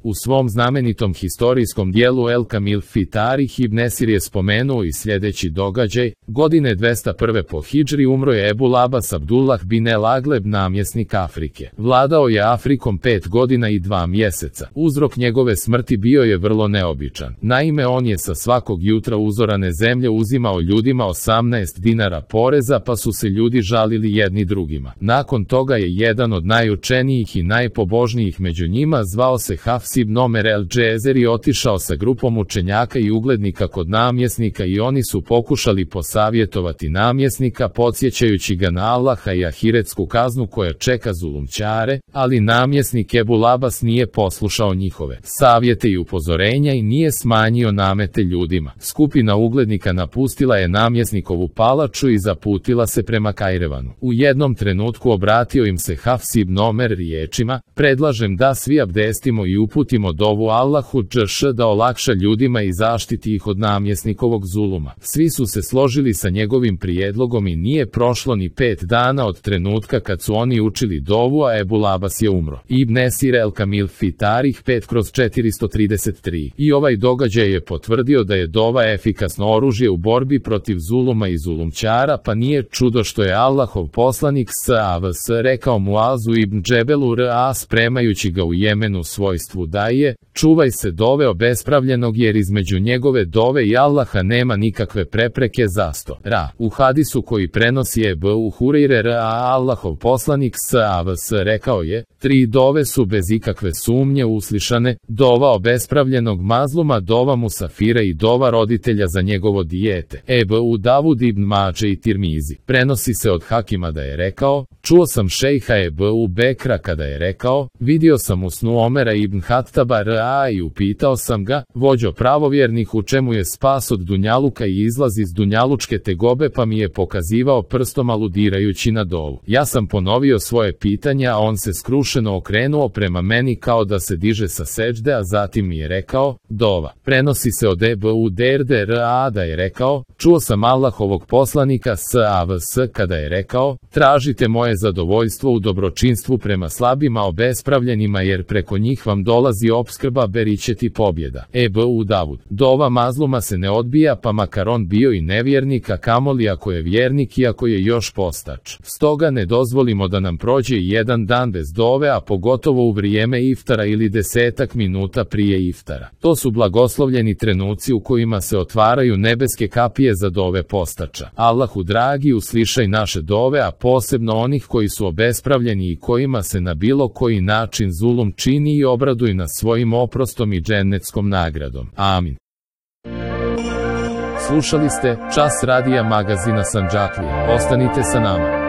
U svom znamenitom historijskom dijelu El Kamil fi Tarih ibn Esir je spomenuo i sljedeći događaj: godine 201. po hidžri umro je Ebul Abbas Abdullah bin El Agleb, namjesnik Afrike. Vladao je Afrikom 5 godina i 2 mjeseca. Uzrok njegove smrti bio je vrlo neobičan. Naime, on je sa svakog jutra uzorane zemlje uzimao ljudima 18 dinara poreza, pa su se ljudi žalili jedni drugima. Nakon toga je jedan od najučenijih i najpobožnijih među njima, zvao se Hafs ibn Omer el-Džezeri, otišao sa grupom učenjaka i uglednika kod namjesnika i oni su pokušali posavjetovati namjesnika, podsjećajući ga na Allaha i ahiretsku kaznu koja čeka zulumčare, ali namjesnik Ebul Abbas nije poslušao njihove savjete i upozorenja i nije smanjio namete ljudima. Skupina uglednika napustila je namjesnikovu palaču i zaputila se prema Kajrevanu. U jednom trenutku obratio im se Hafs ibn Omer riječima: predlažem da svi abdestimo i uputimo dovu Allahu džš da olakša ljudima i zaštiti ih od namjesnikovog zuluma. Svi su se složili sa njegovim prijedlogom i nije prošlo ni 5 dana od trenutka kad su oni učili dovu, a Ebul Abbas je umro. Ibn Esir El Kamil fi Tarih 5/433. I ovaj događaj je potvrdio da je dova efikasno oružje u borbi protiv zuluma i zulumčara, pa nije čudo što je Allahov poslanik s.a.v.s. rekao Muazu ibn Džebelu r.a. spremajući ga u Jemenu svojstvu daje: čuvaj se dove obespravljenog, jer između njegove dove i Allaha nema nikakve prepreke. Zasto. U hadisu koji prenosi Ebu Hurajre r.a. Allahov poslanik s.a.v.s. rekao je: 3 dove su bez ikakve sumnje uslišane: dova obespravljenog mazluma, dova musafira i dova roditelja za njegovo dijete. Ebu Davud ibn Mađe i Tirmizi. Prenosi se od Hakima da je rekao: čuo sam šejha Ebu Bekra kada je rekao: vidio sam u snu Omera ibn Hattaba r.a. i upitao sam ga: vođo pravovjernih, u čemu je spas od dunjaluka i izlaz iz dunjalučke tegobe? Pa mi je pokazivao prstom aludirajući na dovu. Ja sam ponovio svoje pitanje, a on se skrušeno okrenuo prema meni kao da se diže sa seđde, a zatim mi je rekao: dova. Prenosi se od Ebu Derde r.a. da je rekao: čuo sam Allahovog poslanika s.a.v.s. kada je rekao: tražite moje zadovoljstvo u dobročinstvu prema slabima obespravljenima, jer preko njih vam dolazi opskrba, beričeti pobjeda. Ebu Davud. Dova mazluma se ne odbija, pa makar on bio i nevjernik, a kamoli ako je vjernik i ako je još postač. Stoga ne dozvolimo da nam prođe jedan dan bez dove, a pogotovo u vrijeme iftara ili 10 minuta prije iftara. To su blagoslovljeni trenuci u kojima se otvaraju nebeske kapije za dove postača. Allahu dragi, uslišaj naše dove, a posebno onih koji su obespravljeni i kojima se na bilo koji način zulum čini, i obraduj nas svojim oprostom i džennetskom nagradom. Amin. Slušali ste Čas radija magazina Sandžaklije. Ostanite sa nama.